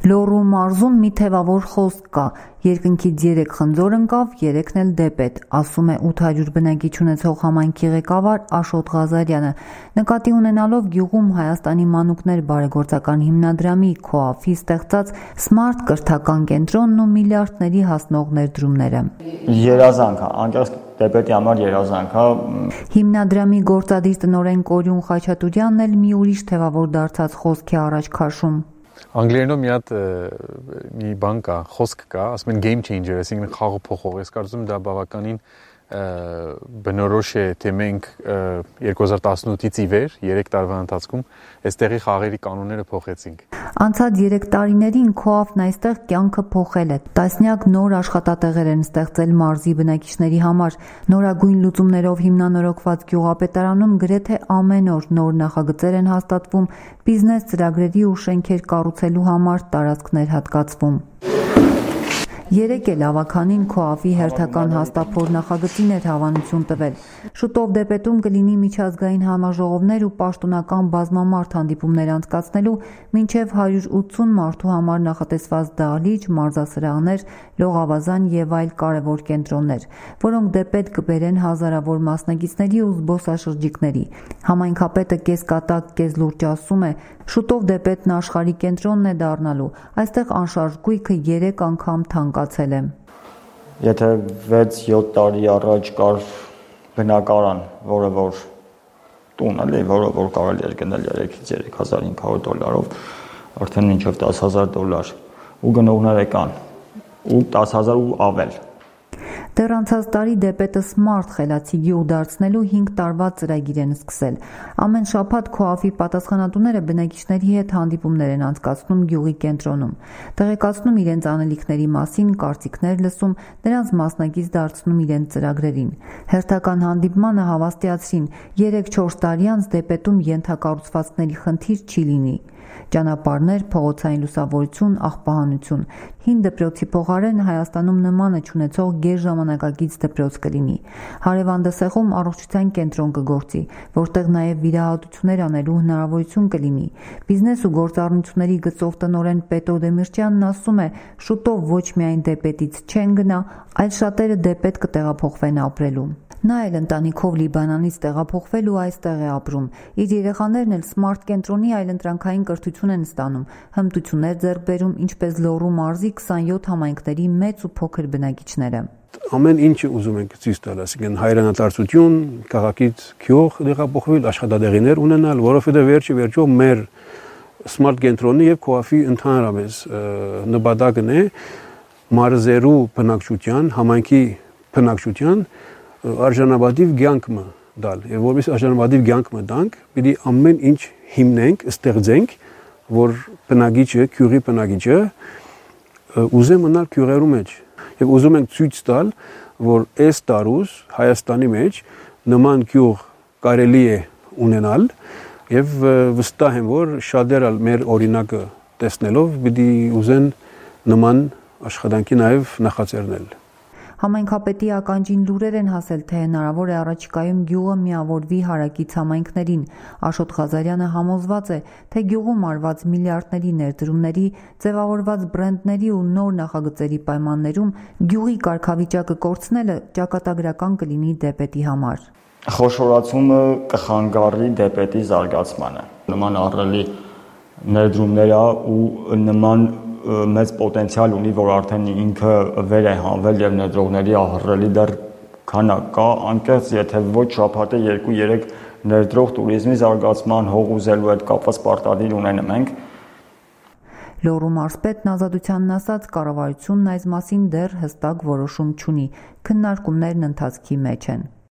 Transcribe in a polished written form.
Լոռու մարզում մի թևավոր խոսք կա. երկնքից 3 խնձոր ընկավ, 3-ն էլ դեպետ, ասում է 800 բնակիչ ունեցող համայնքի ղեկավար Աշոտ Ղազարյանը, նկատի ունենալով գյուղում Հայաստանի մանուկներ բարեգործական հիմնադրամի ՔՕԱՖ-ի ստեղծած Smart կրթական կենտրոնն ու միլիարդների հասնող ներդրումները։ Երազանք, անկեղծ դեպետի համար երազանք, Հիմնադրամի գործադիր տնօրեն Կորյուն Խաչատուրյանն էլ մի ուրիշ թևավոր դարձած խոսքի առաջ քաշում։ Անգլերենով մի բան կա, խոսք կա, ասում են game changer, այսինքն խաղը փոխող։ Ես կարծում եմ դա բավականին բնորոշ է, թե մենք 2018-ից ի վեր 3 տարվա ընթացքում այստեղի խաղերի կանոնները փոխեցինք։ Անցած 3 տարիներին ՔՕԱՖ-ն այստեղ կյանքը փոխել է։ Տասնյակ նոր աշխատատեղեր են ստեղծել մարզի բնակիչների համար։ Նորագույն լուծումներով հիմնանորոգված գյուղապետարանում գրեթե ամեն օր նոր նախագծեր են հաստատվում, բիզնես ծրագրերի ու շենքեր կառուցելու համար տարածքներ հատկացվում։ Երեկ էլ ավականին ՔՕԱՖ-ի հերթական հաստափոր նախագծին էր հավանություն տվել։ Շուտով դեպետում կլինի միջազգային համաժողովներ ու պաշտոնական բազմամարդ հանդիպումներ անցկացնելու մինչև 180 մարդու համար նախատեսված դահլիճ, մարզասրահներ, լողավազան եւ այլ կարևոր կենտրոններ, որոնք դեպետ կբերեն հազարավոր մասնակիցների ու զբոսաշրջիկների։ Համայնքապետը կեսկատակ, կեսլուրջ ասում է, շուտով դեպետն աշխարհի կենտրոնն է դառնալու։ Այստեղ անշարժ գույքը 3 անգամ թանկացել է։ Եթե 6-7 տարի առաջ կար բնակարան, որը որ տուն էլի, որը կարելի էր գնել 3-ից 3500 դոլարով, արդեն մինչև $10,000 ու գնողները կան, ու 10,000 ու ավել։ Դեռ անցած տարի դեպետը Smart խելացի գյուղ դարձնելու 5 տարվա ծրագիր են սկսել։ Ամեն շաբաթ ՔՕԱՖ-ի պատասխանատուները բնակիչների հետ հանդիպումներ են անցկացնում գյուղի կենտրոնում, տեղեկացնում իրենց անելիքների մասին, կարծիքներ լսում, նրանց մասնակից դարձնում իրենց ծրագրերին։ Հերթական հանդիպմանը հավաստիացրին 3-4 տարի անց դեպետում ենթակառուցվածքների խնդիր չի լինի։ Ճանապարհներ, փողոցային լուսավորություն, աղբահանություն։ Հին դպրոցի փոխարեն Հայաստանում նմանը չունեցող գերժամանակակից դպրոց կլինի։ Հարևան Դսեղում առողջության կենտրոն կգործի, որտեղ նաև վիրահատություններ անելու հնարավորություն կլինի։ Բիզնես ու գործառնությունների գծով տնօրեն Պետրո Դեմիրճյանն ասում է, շուտով ոչ միայն դեպետից չեն գնա, այլ շատերը դեպետ կտեղափոխվեն ապրելու։ Նա էլ ընտանիքով Լիբանանից տեղափոխվել ու այստեղ է ապրում։ Իր երեխաներն էլ Smart կենտրոնի այլընտրանքային կրթություն են ստանում, հմտություններ ձեռք բերում, ինչպես Լոռու մարզի 27 համայնքների մեծ ու փոքր բնակիչները։ Ամեն ինչը ուզում ենք ցույց տալ, ասենք հայրենադարձություն, քաղաքից գյուղ տեղափոխվել, աշխատատեղիներ ունենալ, որովհետև վերջո մեր Smart կենտրոնի եւ ՔՕԱՖ-ի ընդհանրապես նպատակն է մարզերու բնակչության, համայնքի բնակչության արժանապատիվ կյանքը դալ, եւ որպես արժանապատիվ կյանքը տանք, պիտի ամեն ինչ հիմնենք, ստեղծենք, որ բնակիչը, գյուղի բնակիչը ուզե մնալ գյուղերու մեջ, եւ ուզում ենք ցույց տալ, որ այս տարուս Հայաստանի մեջ նման գյուղ կարելի է ունենալ, եւ վստահ եմ, որ շատերը մեր օրինակը տեսնելով պիտի ուզեն նման աշխատանքի նաեւ նախաձեռնել։ Համայնքապետի ականջին լուրեր են հասել, թե հնարավոր է առաջիկայում գյուղը միավորվի հարակից համայնքներին։ Աշոտ Ղազարյանը համոզված է, թե գյուղում արված միլիարդների ներդրումների, ձևավորված բրենդների ու նոր նախագծերի պայմաններում գյուղի կարգավիճակը կորցնելը ճակատագրական կլինի դեպետի համար։ Խոշորացումը կխանգարի դեպետի զարգացմանը։ Նման ահռելի ներդրումները ու նման մեծ պոտենցիալ ունի, որ արդեն ինքը վեր է հանվել եւ ներդրողների ահռելի դեռ քանակ կա, անկեղծ եթե ոչ շաբաթը 2-3 ներդրող туриզմի զարգացման հող ուզելու հետ կապված պարտադիր ունենում ենք։ Լոռու մարզպետն Ազատությանն ասաց, կառավարությունն այս մասին դեռ հստակ որոշում չունի, քննարկումներն ընթացքի մեջ են։